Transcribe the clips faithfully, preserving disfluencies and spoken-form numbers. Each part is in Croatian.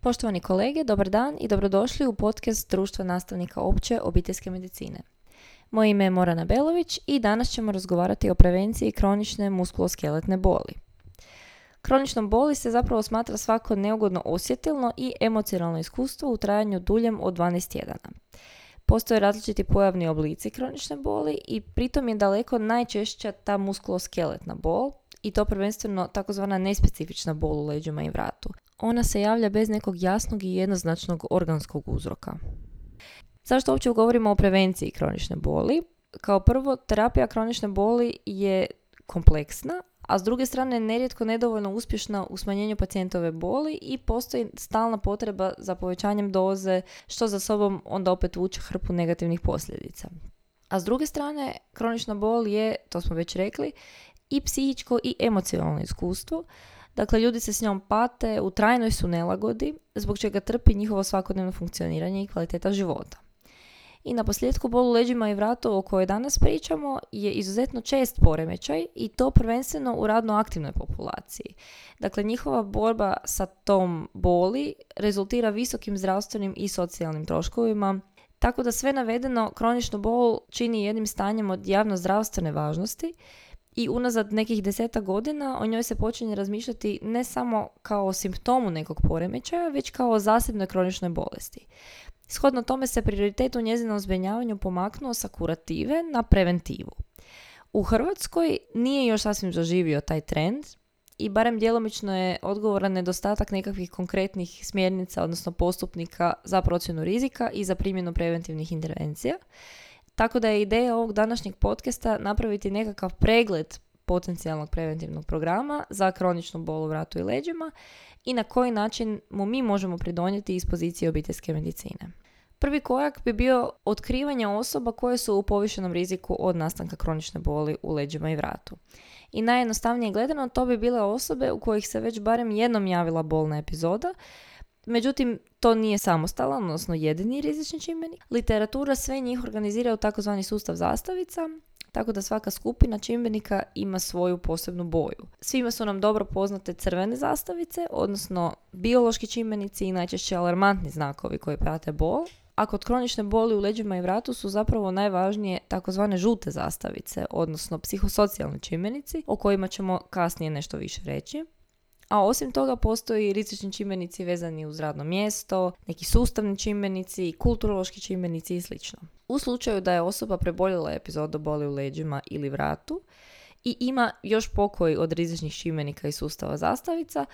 Poštovani kolege, dobar dan i dobrodošli u podcast Društva nastavnika opće obiteljske medicine. Moje ime je Morana Belović i danas ćemo razgovarati o prevenciji kronične muskuloskeletne boli. Kroničnom boli se zapravo smatra svako neugodno osjetilno i emocionalno iskustvo u trajanju duljem od dvanaest tjedana. Postoje različiti pojavni oblici kronične boli i pritom je daleko najčešća ta muskuloskeletna bol i to prvenstveno takozvana nespecifična bol u leđima i vratu. Ona se javlja bez nekog jasnog i jednoznačnog organskog uzroka. Zašto uopće govorimo o prevenciji kronične boli? Kao prvo, terapija kronične boli je kompleksna, a s druge strane nerijetko nedovoljno uspješna u smanjenju pacijentove boli i postoji stalna potreba za povećanjem doze, što za sobom onda opet vuče hrpu negativnih posljedica. A s druge strane, kronična bol je, to smo već rekli, i psihičko i emocionalno iskustvo. Dakle, ljudi se s njom pate, u trajnoj su nelagodi, zbog čega trpi njihovo svakodnevno funkcioniranje i kvaliteta života. I na posljedku bol u leđima i vratu o kojoj danas pričamo je izuzetno čest poremećaj i to prvenstveno u radno aktivnoj populaciji. Dakle, njihova borba sa tom boli rezultira visokim zdravstvenim i socijalnim troškovima, tako da sve navedeno kroničnu bol čini jednim stanjem od javnozdravstvene važnosti i unazad nekih desetak godina o njoj se počinje razmišljati ne samo kao o simptomu nekog poremećaja, već kao o zasebnoj kroničnoj bolesti. Shodno tome se prioritet u njezinom zbrinjavanju pomaknuo sa kurative na preventivu. U Hrvatskoj nije još sasvim zaživio taj trend i barem djelomično je odgovoran nedostatak nekakvih konkretnih smjernica, odnosno postupnika za procjenu rizika i za primjenu preventivnih intervencija. Tako da je ideja ovog današnjeg podcasta napraviti nekakav pregled potencijalnog preventivnog programa za kroničnu bol u vratu i leđima i na koji način mu mi možemo pridonijeti iz pozicije obiteljske medicine. Prvi korak bi bio otkrivanje osoba koje su u povišenom riziku od nastanka kronične boli u leđima i vratu. I najjednostavnije gledano to bi bile osobe u kojih se već barem jednom javila bolna epizoda. Međutim, to nije samostalan, odnosno jedini rizični čimbenik. Literatura sve njih organizira u takozvani sustav zastavica, tako da svaka skupina čimbenika ima svoju posebnu boju. Svima su nam dobro poznate crvene zastavice, odnosno biološki čimbenici i najčešće alarmantni znakovi koji prate bol, a kod kronične boli u leđima i vratu su zapravo najvažnije takozvane žute zastavice, odnosno psihosocijalni čimbenici, o kojima ćemo kasnije nešto više reći. A osim toga postoji rizični čimbenici vezani uz radno mjesto, neki sustavni čimbenici, kulturološki čimbenici i sl. U slučaju da je osoba preboljela epizodu boli u leđima ili vratu i ima još pokoji od rizičnih čimbenika iz sustava zastavica,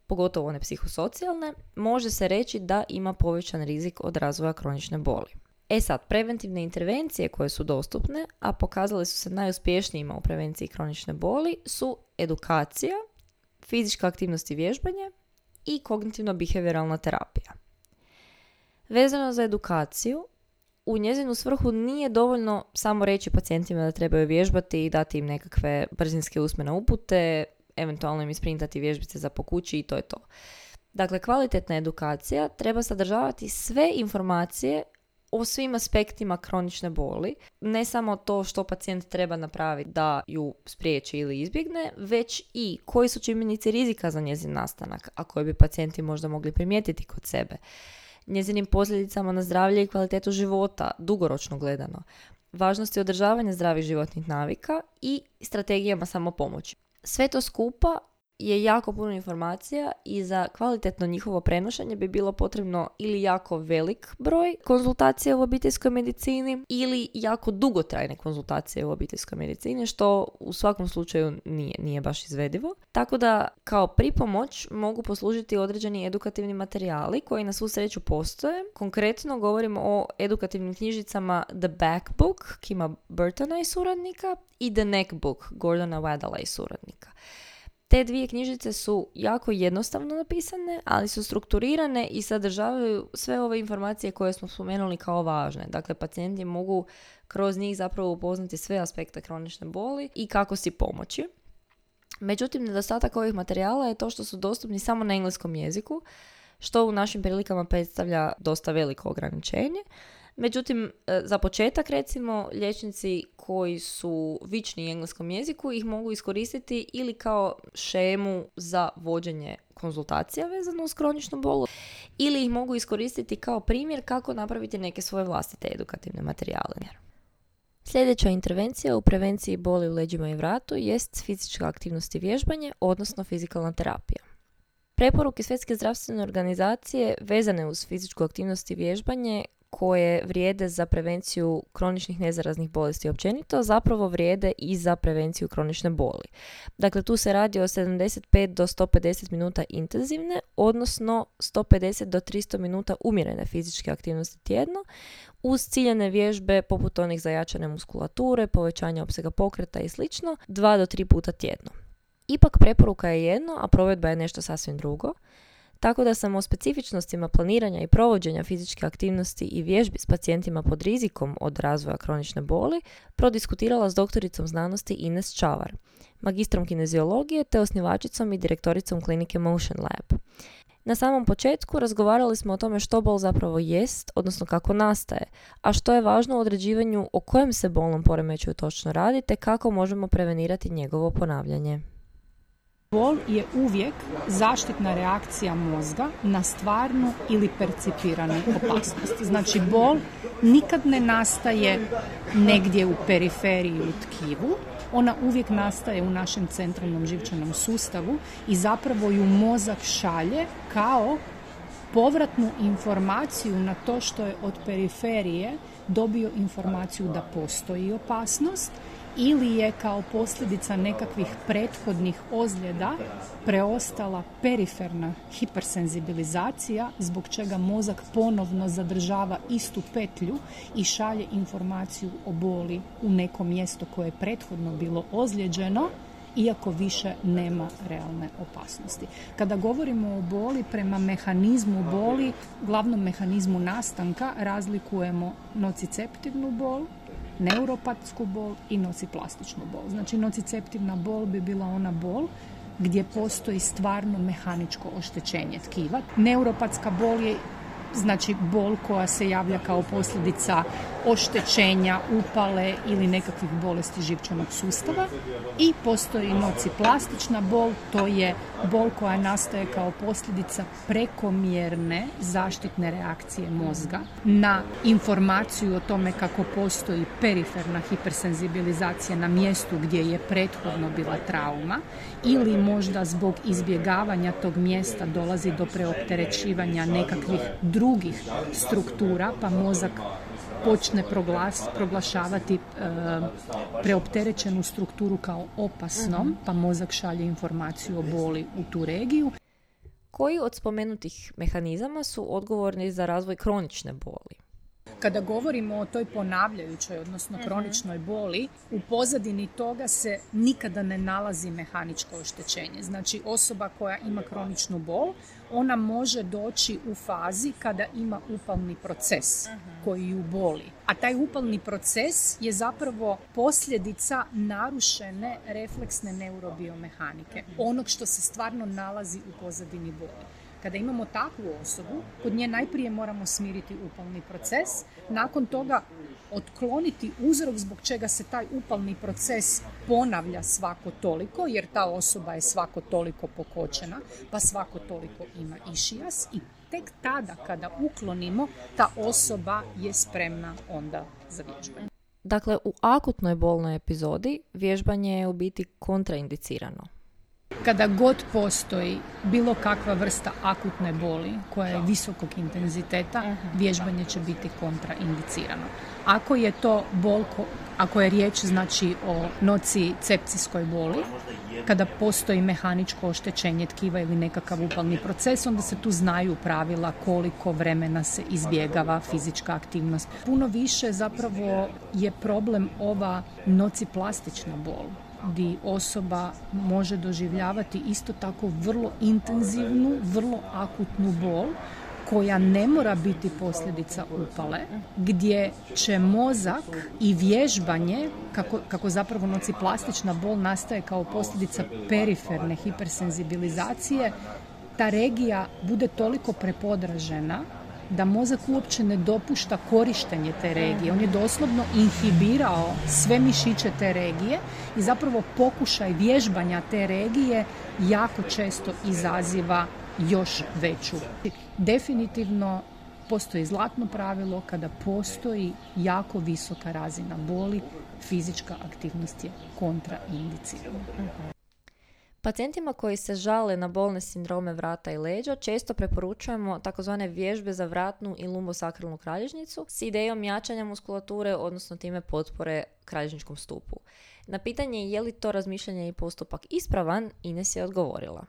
pogotovo one psihosocijalne, može se reći da ima povećan rizik od razvoja kronične boli. E sad, preventivne intervencije koje su dostupne, a pokazale su se najuspješnijima u prevenciji kronične boli, su edukacija, fizička aktivnost i vježbanje i kognitivno-behavioralna terapija. Vezano za edukaciju, u njezinu svrhu nije dovoljno samo reći pacijentima da trebaju vježbati i dati im nekakve brzinske usmene upute, eventualno im isprintati vježbice za po kući i to je to. Dakle, kvalitetna edukacija treba sadržavati sve informacije o svim aspektima kronične boli, ne samo to što pacijent treba napraviti da ju spriječi ili izbjegne, već i koji su čimbenici rizika za njezin nastanak, a koje bi pacijenti možda mogli primijetiti kod sebe, njezinim posljedicama na zdravlje i kvalitetu života, dugoročno gledano, važnosti održavanja zdravih životnih navika i strategijama samopomoći. Sve to skupa je jako puno informacija i za kvalitetno njihovo prenošenje bi bilo potrebno ili jako velik broj konzultacija u obiteljskoj medicini ili jako dugotrajne konzultacije u obiteljskoj medicini, što u svakom slučaju nije, nije baš izvedivo. Tako da kao pripomoć mogu poslužiti određeni edukativni materijali koji na svu sreću postoje. Konkretno govorimo o edukativnim knjižicama The Back Book Kima Burtona i suradnika i The Neck Book Gordona Waddella i suradnika. Te dvije knjižice su jako jednostavno napisane, ali su strukturirane i sadržavaju sve ove informacije koje smo spomenuli kao važne. Dakle, pacijenti mogu kroz njih zapravo upoznati sve aspekte kronične boli i kako si pomoći. Međutim, nedostatak ovih materijala je to što su dostupni samo na engleskom jeziku, što u našim prilikama predstavlja dosta veliko ograničenje. Međutim, za početak recimo liječnici koji su vični engleskom jeziku ih mogu iskoristiti ili kao šemu za vođenje konzultacija vezano uz kroničnu bol ili ih mogu iskoristiti kao primjer kako napraviti neke svoje vlastite edukativne materijale. Sljedeća intervencija u prevenciji boli u leđima i vratu jest fizička aktivnost i vježbanje, odnosno fizikalna terapija. Preporuke Svjetske zdravstvene organizacije vezane uz fizičku aktivnost i vježbanje koje vrijede za prevenciju kroničnih nezaraznih bolesti općenito, zapravo vrijede i za prevenciju kronične boli. Dakle, tu se radi o sedamdeset pet do sto pedeset minuta intenzivne, odnosno sto pedeset do tristo minuta umjerene fizičke aktivnosti tjedno, uz ciljane vježbe poput onih za jačanje muskulature, povećanja opsega pokreta i sl. dva do tri puta tjedno. Ipak preporuka je jedno, a provedba je nešto sasvim drugo. Tako da sam o specifičnostima planiranja i provođenja fizičke aktivnosti i vježbi s pacijentima pod rizikom od razvoja kronične boli prodiskutirala s doktoricom znanosti Ines Čavar, magistrom kineziologije te osnivačicom i direktoricom klinike Motion Lab. Na samom početku razgovarali smo o tome što bol zapravo jest, odnosno kako nastaje, a što je važno u određivanju o kojem se bolnom poremećaju točno radi te kako možemo prevenirati njegovo ponavljanje. Bol je uvijek zaštitna reakcija mozga na stvarnu ili percipiranu opasnost. Znači, bol nikad ne nastaje negdje u periferiji u tkivu, ona uvijek nastaje u našem centralnom živčanom sustavu i zapravo ju mozak šalje kao povratnu informaciju na to što je od periferije dobio informaciju da postoji opasnost ili je kao posljedica nekakvih prethodnih ozljeda preostala periferna hipersenzibilizacija zbog čega mozak ponovno zadržava istu petlju i šalje informaciju o boli u neko mjesto koje je prethodno bilo ozlijeđeno, iako više nema realne opasnosti. Kada govorimo o boli, prema mehanizmu boli, glavnom mehanizmu nastanka, razlikujemo nociceptivnu bol, neuropatsku bol i nociplastičnu bol. Znači, nociceptivna bol bi bila ona bol gdje postoji stvarno mehaničko oštećenje tkiva. Neuropatska bol je znači bol koja se javlja kao posljedica oštećenja, upale ili nekakvih bolesti živčanog sustava i postoji nociplastična bol, to je bol koja nastaje kao posljedica prekomjerne zaštitne reakcije mozga na informaciju o tome kako postoji periferna hipersenzibilizacija na mjestu gdje je prethodno bila trauma ili možda zbog izbjegavanja tog mjesta dolazi do preopterećivanja nekakvih drugih struktura, pa mozak počne proglas, proglašavati e, preopterećenu strukturu kao opasnom, pa mozak šalje informaciju o boli u tu regiju. Koji od spomenutih mehanizama su odgovorni za razvoj kronične boli? Kada govorimo o toj ponavljajućoj, odnosno kroničnoj boli, u pozadini toga se nikada ne nalazi mehaničko oštećenje. Znači, osoba koja ima kroničnu bol, ona može doći u fazi kada ima upalni proces koji ju boli. A taj upalni proces je zapravo posljedica narušene refleksne neurobiomehanike, onog što se stvarno nalazi u pozadini boli. Kada imamo takvu osobu, kod nje najprije moramo smiriti upalni proces, nakon toga otkloniti uzrok zbog čega se taj upalni proces ponavlja svako toliko, jer ta osoba je svako toliko pokočena, pa svako toliko ima išijas i tek tada kada uklonimo, ta osoba je spremna onda za vježbanje. Dakle, u akutnoj bolnoj epizodi vježbanje je u biti kontraindicirano. Kada god postoji bilo kakva vrsta akutne boli koja je visokog intenziteta, vježbanje će biti kontraindicirano. Ako je to bol, ako je riječ znači o nocicepcijskoj boli, kada postoji mehaničko oštećenje tkiva ili nekakav upalni proces, onda se tu znaju pravila koliko vremena se izbjegava fizička aktivnost. Puno više zapravo je problem ova nociplastična bol, gdje osoba može doživljavati isto tako vrlo intenzivnu, vrlo akutnu bol koja ne mora biti posljedica upale, gdje će mozak i vježbanje, kako, kako zapravo nociplastična bol nastaje kao posljedica periferne hipersenzibilizacije, ta regija bude toliko prepodražena da mozak uopće ne dopušta korištenje te regije. On je doslovno inhibirao sve mišiće te regije i zapravo pokušaj vježbanja te regije jako često izaziva još veću. Definitivno postoji zlatno pravilo: kada postoji jako visoka razina boli, fizička aktivnost je kontraindicirana. Pacijentima koji se žale na bolne sindrome vrata i leđa često preporučujemo takozvane vježbe za vratnu i lumbosakralnu kralježnicu s idejom jačanja muskulature, odnosno time potpore kralježničkom stupu. Na pitanje je li to razmišljanje i postupak ispravan, Ines je odgovorila.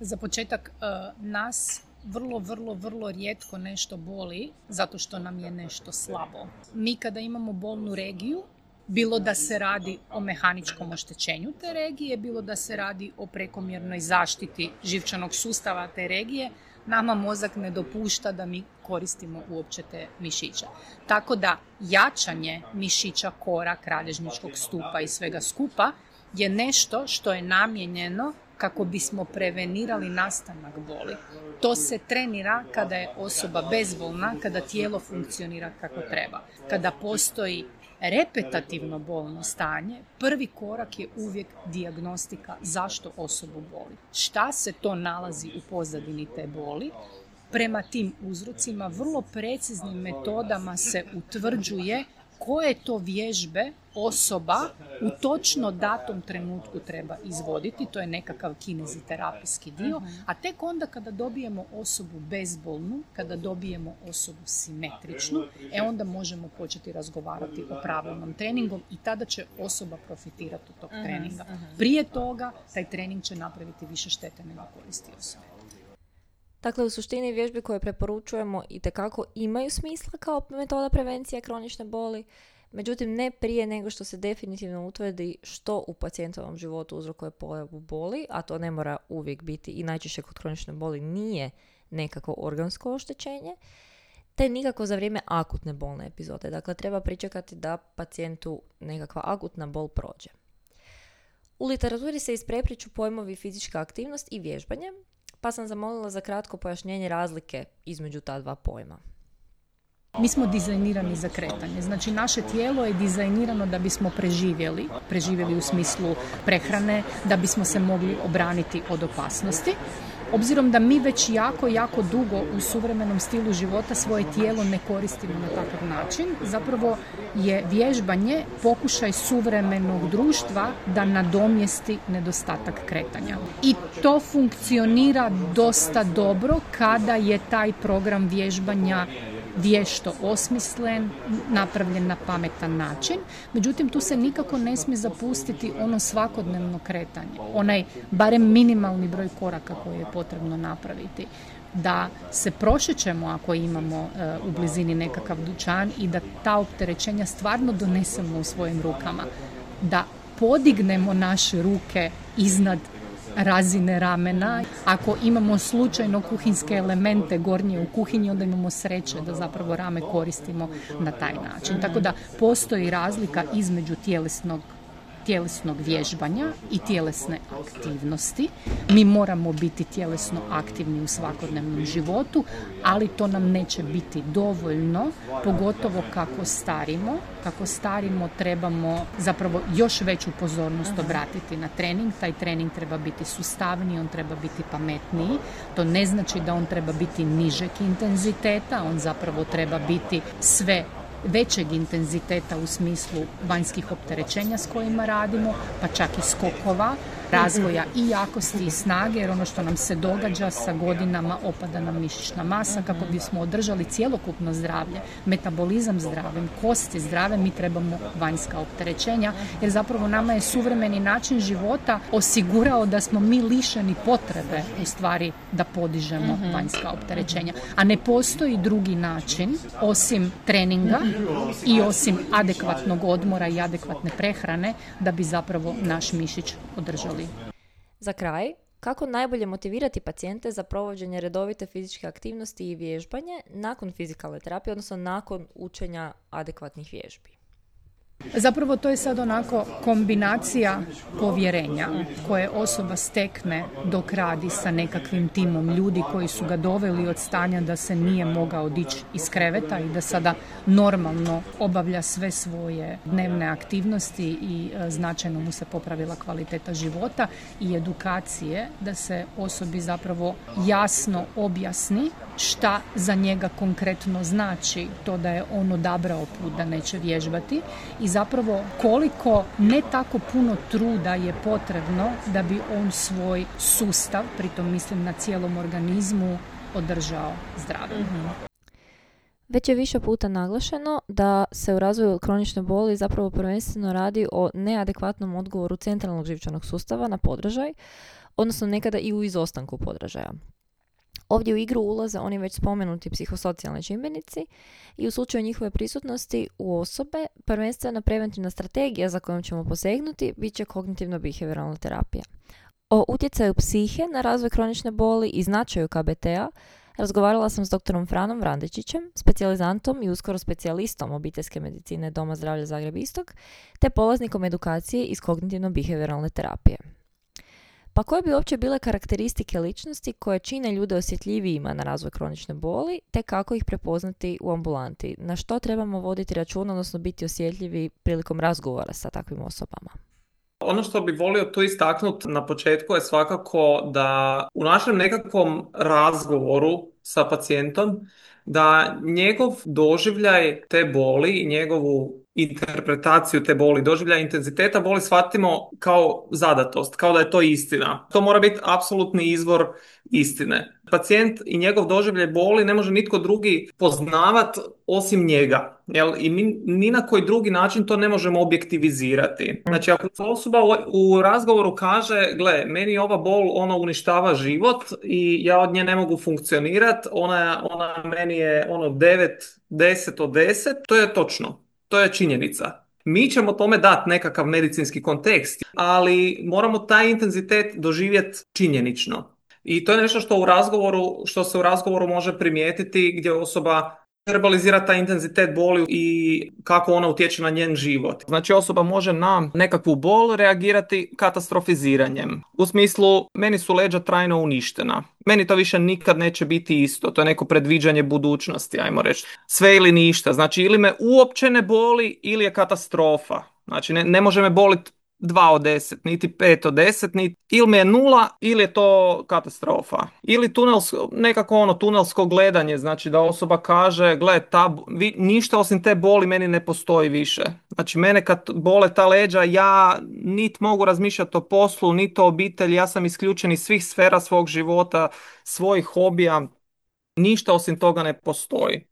Za početak, nas vrlo, vrlo, vrlo rijetko nešto boli zato što nam je nešto slabo. Mi kada imamo bolnu regiju, bilo da se radi o mehaničkom oštećenju te regije, bilo da se radi o prekomjernoj zaštiti živčanog sustava te regije, nama mozak ne dopušta da mi koristimo uopće te mišiće. Tako da jačanje mišića kora, kralježničkog stupa i svega skupa je nešto što je namijenjeno kako bismo prevenirali nastanak boli. To se trenira kada je osoba bezbolna, kada tijelo funkcionira kako treba. Kada postoji repetativno bolno stanje, prvi korak je uvijek dijagnostika zašto osobu boli. Šta se to nalazi u pozadini te boli? Prema tim uzrocima vrlo preciznim metodama se utvrđuje koje to vježbe osoba u točno datom trenutku treba izvoditi. To je nekakav kineziterapijski dio. A tek onda kada dobijemo osobu bezbolnu, kada dobijemo osobu simetričnu, e onda možemo početi razgovarati o pravilnom treningu i tada će osoba profitirati od tog treninga. Prije toga taj trening će napraviti više štete nego koristi osobe. Dakle, u suštini vježbe koje preporučujemo itekako imaju smisla kao metoda prevencije kronične boli, međutim ne prije nego što se definitivno utvrdi što u pacijentovom životu uzrokuje pojavu boli, a to ne mora uvijek biti i najčešće kod kronične boli nije nekako organsko oštećenje, te nikako za vrijeme akutne bolne epizode. Dakle, treba pričekati da pacijentu nekakva akutna bol prođe. U literaturi se isprepliću pojmovi fizička aktivnost i vježbanje, pa sam zamolila za kratko pojašnjenje razlike između ta dva pojma. Mi smo dizajnirani za kretanje. Znači, naše tijelo je dizajnirano da bismo preživjeli, preživjeli u smislu prehrane, da bismo se mogli obraniti od opasnosti. Obzirom da mi već jako, jako dugo u suvremenom stilu života svoje tijelo ne koristimo na takav način, zapravo je vježbanje pokušaj suvremenog društva da nadomjesti nedostatak kretanja. I to funkcionira dosta dobro kada je taj program vježbanja vješto osmislen, napravljen na pametan način. Međutim, tu se nikako ne smije zapustiti ono svakodnevno kretanje. Onaj barem minimalni broj koraka koji je potrebno napraviti. Da se prošećemo ako imamo uh, u blizini nekakav dućan i da ta opterećenja stvarno donesemo u svojim rukama. Da podignemo naše ruke iznad razine ramena. Ako imamo slučajno kuhinske elemente gornje u kuhinji, onda imamo sreće da zapravo rame koristimo na taj način. Tako da postoji razlika između tjelesnog tjelesnog vježbanja i tjelesne aktivnosti. Mi moramo biti tjelesno aktivni u svakodnevnom životu, ali to nam neće biti dovoljno, pogotovo kako starimo. Kako starimo trebamo zapravo još veću pozornost obratiti na trening. Taj trening treba biti sustavniji, on treba biti pametniji. To ne znači da on treba biti nižeg intenziteta, on zapravo treba biti sve većeg intenziteta u smislu vanjskih opterećenja s kojima radimo, pa čak i skokova, razvoja i jakosti i snage, jer ono što nam se događa sa godinama opada nam mišićna masa. Kako bismo održali cjelokupno zdravlje, metabolizam zdravim, kosti zdrave, mi trebamo vanjska opterećenja, jer zapravo nama je suvremeni način života osigurao da smo mi lišeni potrebe u stvari da podižemo vanjska opterećenja. A ne postoji drugi način osim treninga i osim adekvatnog odmora i adekvatne prehrane da bi zapravo naš mišić održali. Za kraj, kako najbolje motivirati pacijente za provođenje redovite fizičke aktivnosti i vježbanje nakon fizikalne terapije, odnosno nakon učenja adekvatnih vježbi? Zapravo to je sad onako kombinacija povjerenja koje osoba stekne dok radi sa nekakvim timom ljudi koji su ga doveli od stanja da se nije mogao dići iz kreveta i da sada normalno obavlja sve svoje dnevne aktivnosti i e, značajno mu se popravila kvaliteta života i edukacije da se osobi zapravo jasno objasni šta za njega konkretno znači to da je on odabrao put da neće vježbati i zapravo koliko ne tako puno truda je potrebno da bi on svoj sustav, pritom mislim na cijelom organizmu, održao zdravim. Mm-hmm. Već je više puta naglašeno da se u razvoju kronične boli zapravo prvenstveno radi o neadekvatnom odgovoru centralnog živčanog sustava na podražaj, odnosno nekada i u izostanku podražaja. Ovdje u igru ulaze oni već spomenuti psihosocijalni čimbenici i u slučaju njihove prisutnosti u osobe prvenstvena preventivna strategija za kojom ćemo posegnuti bit će kognitivno-behavioralna terapija. O utjecaju psihe na razvoj kronične boli i značaju K B T-a razgovarala sam s doktorom Franom Vrandečićem, specijalizantom i uskoro specijalistom obiteljske medicine Doma zdravlja Zagreb Istok, te polaznikom edukacije iz kognitivno-behavioralne terapije. Pa koje bi uopće bile karakteristike ličnosti koje čine ljude osjetljivijima na razvoj kronične boli, te kako ih prepoznati u ambulanti? Na što trebamo voditi računa, odnosno biti osjetljivi prilikom razgovora sa takvim osobama? Ono što bi volio tu istaknuti na početku je svakako da u našem nekakvom razgovoru sa pacijentom da njegov doživljaj te boli i njegovu interpretaciju te boli, doživljaj intenziteta boli shvatimo kao zadatost, kao da je to istina. To mora biti apsolutni izvor istine. Pacijent i njegov doživljaj boli ne može nitko drugi poznavat osim njega. Jel? I mi ni na koji drugi način to ne možemo objektivizirati. Znači, ako osoba u razgovoru kaže, gle, meni ova bol, ona uništava život i ja od nje ne mogu funkcionirati, ona, ona meni je ono devet, deset od deset, to je točno. To je činjenica. Mi ćemo tome dati nekakav medicinski kontekst, ali moramo taj intenzitet doživjeti činjenično. I to je nešto što u razgovoru, što se u razgovoru može primijetiti gdje osoba verbalizira taj intenzitet boli i kako ona utječe na njen život. Znači osoba može na nekakvu bol reagirati katastrofiziranjem. U smislu, meni su leđa trajno uništena. Meni to više nikad neće biti isto. To je neko predviđanje budućnosti, ajmo reći. Sve ili ništa. Znači ili me uopće ne boli ili je katastrofa. Znači ne, ne može me boliti dva od deset, niti pet od deset, niti ili me je nula ili je to katastrofa. Ili tunelsko, nekako ono tunelsko gledanje, znači da osoba kaže, gle, ta, vi, ništa osim te boli meni ne postoji više. Znači mene kad bole ta leđa, ja niti mogu razmišljati o poslu, niti o obitelji, ja sam isključen iz svih sfera svog života, svojih hobija, ništa osim toga ne postoji.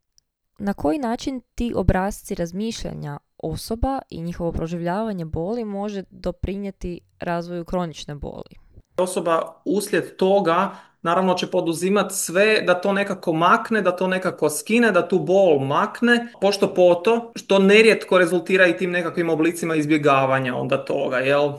Na koji način ti obrasci razmišljanja osoba i njihovo proživljavanje boli može doprinijeti razvoju kronične boli? Osoba uslijed toga naravno će poduzimati sve da to nekako makne, da to nekako skine, da tu bol makne, pošto poto, što nerijetko rezultira i tim nekakvim oblicima izbjegavanja onda toga, jel?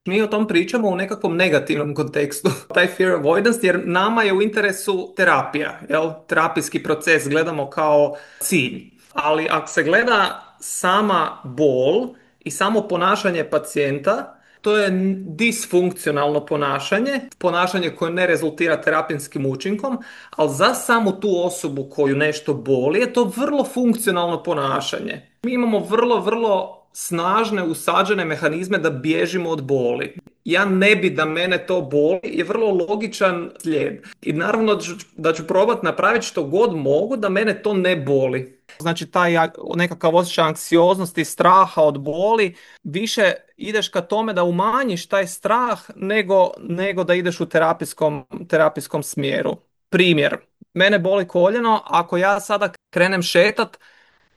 Mi o tom pričamo u nekakvom negativnom kontekstu, taj fear avoidance, jer nama je u interesu terapija, jel? Terapijski proces gledamo kao cilj. Ali ako se gleda sama bol i samo ponašanje pacijenta, to je disfunkcionalno ponašanje, ponašanje koje ne rezultira terapijskim učinkom, ali za samu tu osobu koju nešto boli je to vrlo funkcionalno ponašanje. Mi imamo vrlo, vrlo snažne usađene mehanizme da bježimo od boli. Ja ne bi da mene to boli je vrlo logičan slijed. I naravno da ću, da ću probati napraviti što god mogu da mene to ne boli. Znači taj nekakav osjećaj anksioznosti, straha od boli, više ideš ka tome da umanjiš taj strah nego, nego da ideš u terapijskom, terapijskom smjeru. Primjer, mene boli koljeno, ako ja sada krenem šetat,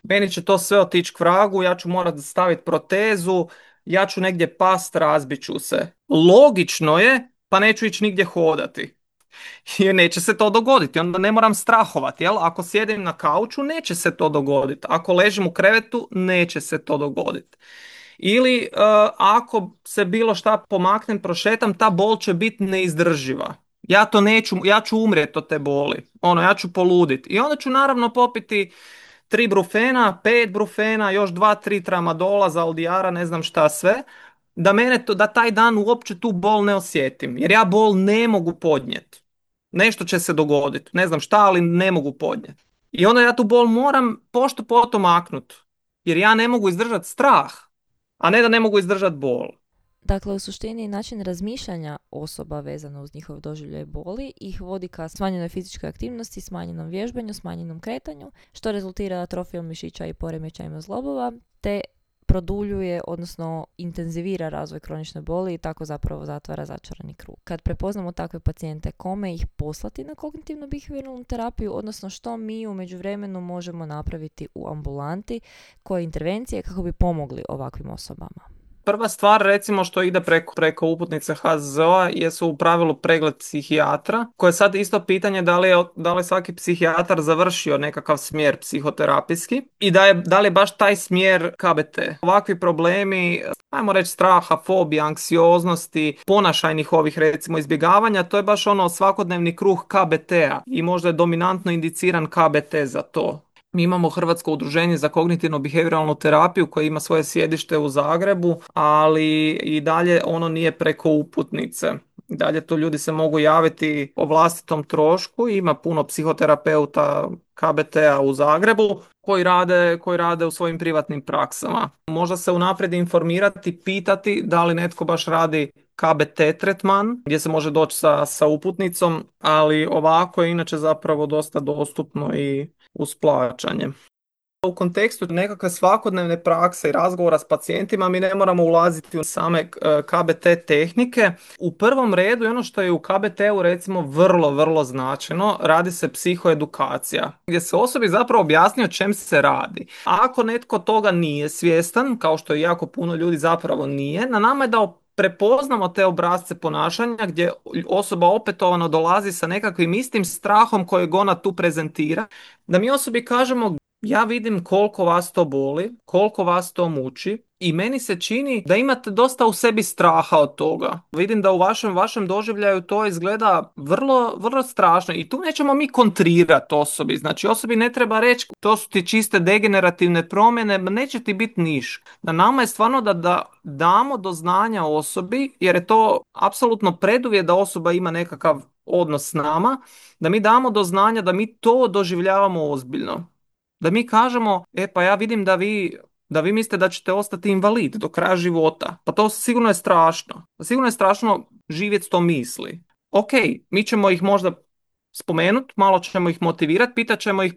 meni će to sve otići k vragu, ja ću morati staviti protezu, ja ću negdje past, razbit ću se. Logično je, pa neću ići nigdje hodati. Jer neće se to dogoditi, onda ne moram strahovati, jel? Ako sjedim na kauču, neće se to dogoditi. Ako ležim u krevetu, neće se to dogoditi. Ili uh, ako se bilo šta pomaknem, prošetam, ta bol će biti neizdrživa. Ja to neću, ja ću umrijeti od te boli. Ono, ja ću poluditi. I onda ću naravno popiti tri brufena, pet brufena, još dva, tri tramadola, zaldijara, ne znam šta sve, da mene to, da taj dan uopće tu bol ne osjetim, jer ja bol ne mogu podnijeti. Nešto će se dogoditi, ne znam šta, ali ne mogu podnijeti. I onda ja tu bol moram pošto potom maknut, jer ja ne mogu izdržati strah, a ne da ne mogu izdržati bol. Dakle, u suštini način razmišljanja osoba vezano uz njihov doživljaj boli ih vodi ka smanjenoj fizičkoj aktivnosti, smanjenom vježbanju, smanjenom kretanju, što rezultira atrofijom mišića i poremećajima zglobova, te produljuje, odnosno intenzivira razvoj kronične boli i tako zapravo zatvara začarani krug. Kad prepoznamo takve pacijente, kome ih poslati na kognitivnu behavioralnu terapiju, odnosno što mi u međuvremenu možemo napraviti u ambulanti, koje intervencije kako bi pomogli ovakvim osobama. Prva stvar, recimo, što ide preko, preko uputnice H Z Z O-a jesu u pravilu pregled psihijatra, koje je sad isto pitanje da li je, da li je svaki psihijatar završio nekakav smjer psihoterapijski i da, je, da li je baš taj smjer K B T. Ovakvi problemi, ajmo reći straha, fobija, anksioznosti, ponašajnih ovih recimo izbjegavanja, to je baš ono svakodnevni kruh K B T-a i možda je dominantno indiciran K B T za to. Mi imamo Hrvatsko udruženje za kognitivno-behavioralnu terapiju koje ima svoje sjedište u Zagrebu, ali i dalje ono nije preko uputnice. I dalje tu ljudi se mogu javiti o vlastitom trošku. Ima puno psihoterapeuta K B T-a u Zagrebu koji rade, koji rade u svojim privatnim praksama. Možda se unaprijed informirati, pitati da li netko baš radi K B T tretman gdje se može doći sa, sa uputnicom, ali ovako je inače zapravo dosta dostupno i uz plaćanje. U kontekstu nekakve svakodnevne prakse i razgovora s pacijentima mi ne moramo ulaziti u same K B T tehnike. U prvom redu, ono što je u K B T-u recimo vrlo, vrlo značajno, radi se psihoedukacija, gdje se osobi zapravo objasni o čem se radi. A ako netko toga nije svjestan, kao što je jako puno ljudi zapravo nije, na nama je da prepoznamo te obrasce ponašanja gdje osoba opetovano dolazi sa nekakvim istim strahom kojeg ona tu prezentira, da mi osobi kažemo ja vidim koliko vas to boli, koliko vas to muči i meni se čini da imate dosta u sebi straha od toga. Vidim da u vašem, vašem doživljaju to izgleda vrlo, vrlo strašno i tu nećemo mi kontrirati osobi. Znači osobi ne treba reći to su ti čiste degenerativne promjene, neće ti biti niš. Na nama je stvarno da, da damo do znanja osobi, jer je to apsolutno preduvjet da osoba ima nekakav odnos s nama, da mi damo do znanja da mi to doživljavamo ozbiljno. Da mi kažemo, e pa ja vidim da vi, da vi mislite da ćete ostati invalid do kraja života. Pa to sigurno je strašno. Sigurno je strašno živjeti s tom misli. Ok, mi ćemo ih možda spomenuti, malo ćemo ih motivirati, pitat ćemo ih,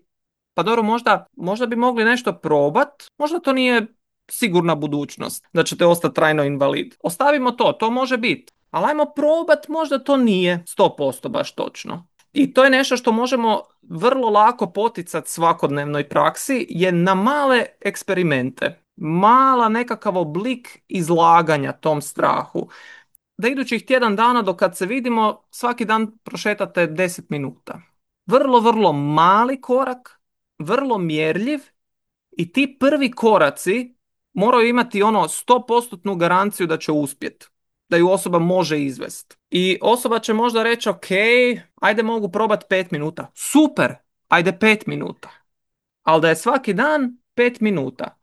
pa dobro, možda, možda bi mogli nešto probat, možda to nije sigurna budućnost da ćete ostati trajno invalid. Ostavimo to, to može biti. Ali ajmo probat, možda to nije sto posto baš točno. I to je nešto što možemo vrlo lako poticati svakodnevnoj praksi je na male eksperimente. Mala nekakav oblik izlaganja tom strahu. Da idućih tjedan dana do kad se vidimo svaki dan prošetate deset minuta. Vrlo, vrlo mali korak, vrlo mjerljiv i ti prvi koraci moraju imati ono sto posto garanciju da će uspjeti. Da ju osoba može izvesti. I osoba će možda reći, ok, ajde mogu probati pet minuta. Super, ajde pet minuta. Ali da je svaki dan pet minuta.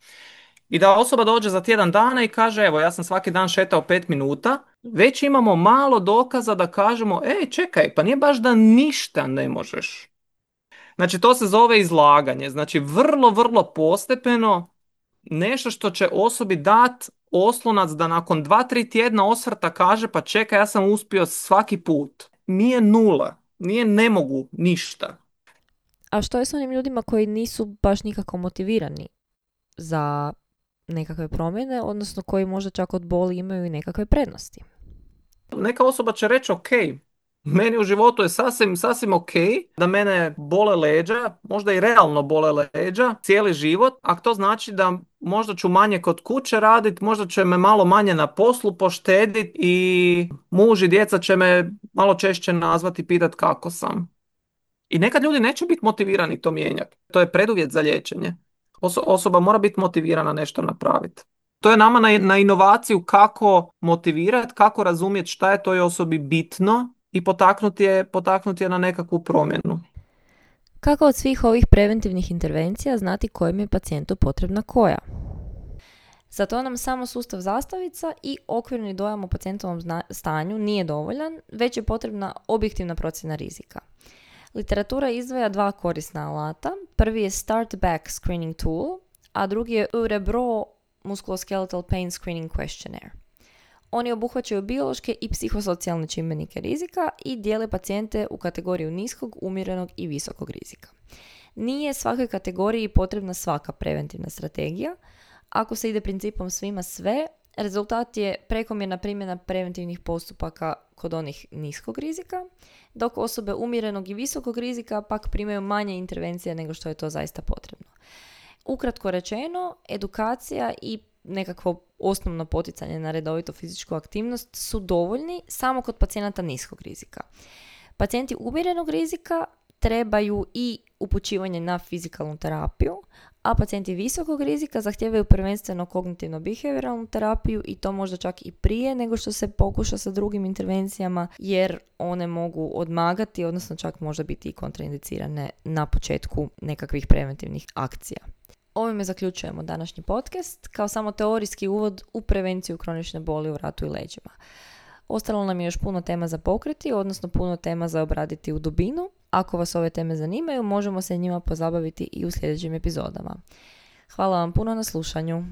I da osoba dođe za tjedan dana i kaže, evo, ja sam svaki dan šetao pet minuta, već imamo malo dokaza da kažemo, ej, čekaj, pa nije baš da ništa ne možeš. Znači, to se zove izlaganje. Znači, vrlo, vrlo postepeno, nešto što će osobi dat oslonac da nakon dva, tri tjedna osvrta kaže pa čekaj, ja sam uspio svaki put. Nije nula, nije ne mogu ništa. A što je s onim ljudima koji nisu baš nikako motivirani za nekakve promjene, odnosno koji možda čak od boli imaju i nekakve prednosti? Neka osoba će reći ok, meni u životu je sasvim, sasvim ok da mene bole leđa, možda i realno bole leđa, cijeli život, a to znači da možda ću manje kod kuće raditi, možda će me malo manje na poslu poštediti i muž i djeca će me malo češće nazvati i pitati kako sam. I nekad ljudi neće biti motivirani to mijenjati. To je preduvjet za liječenje. Oso- osoba mora biti motivirana nešto napraviti. To je nama na, na inovaciju kako motivirati, kako razumjeti šta je toj osobi bitno i potaknuti je, potaknuti je na nekakvu promjenu. Kako od svih ovih preventivnih intervencija znati kojem je pacijentu potrebna koja? Za to nam samo sustav zastavica i okvirni dojam o pacijentovom zna- stanju nije dovoljan, već je potrebna objektivna procjena rizika. Literatura izdvaja dva korisna alata. Prvi je Start Back Screening Tool, a drugi je Örebro Musculoskeletal Pain Screening Questionnaire. Oni obuhvaćaju biološke i psihosocijalne čimbenike rizika i dijele pacijente u kategoriju niskog, umjerenog i visokog rizika. Nije svakoj kategoriji potrebna svaka preventivna strategija. Ako se ide principom svima sve, rezultat je prekomjerna primjena preventivnih postupaka kod onih niskog rizika, dok osobe umjerenog i visokog rizika pak primaju manje intervencije nego što je to zaista potrebno. Ukratko rečeno, edukacija i nekakvo osnovno poticanje na redovitu fizičku aktivnost su dovoljni samo kod pacijenata niskog rizika. Pacijenti umjerenog rizika trebaju i upućivanje na fizikalnu terapiju, a pacijenti visokog rizika zahtijevaju prvenstveno kognitivno-behavioralnu terapiju i to možda čak i prije nego što se pokuša sa drugim intervencijama, jer one mogu odmagati, odnosno čak možda biti i kontraindicirane na početku nekakvih preventivnih akcija. Ovime zaključujemo današnji podcast kao samo teorijski uvod u prevenciju kronične boli u vratu i leđima. Ostalo nam je još puno tema za pokriti, odnosno puno tema za obraditi u dubinu. Ako vas ove teme zanimaju, možemo se njima pozabaviti i u sljedećim epizodama. Hvala vam puno na slušanju.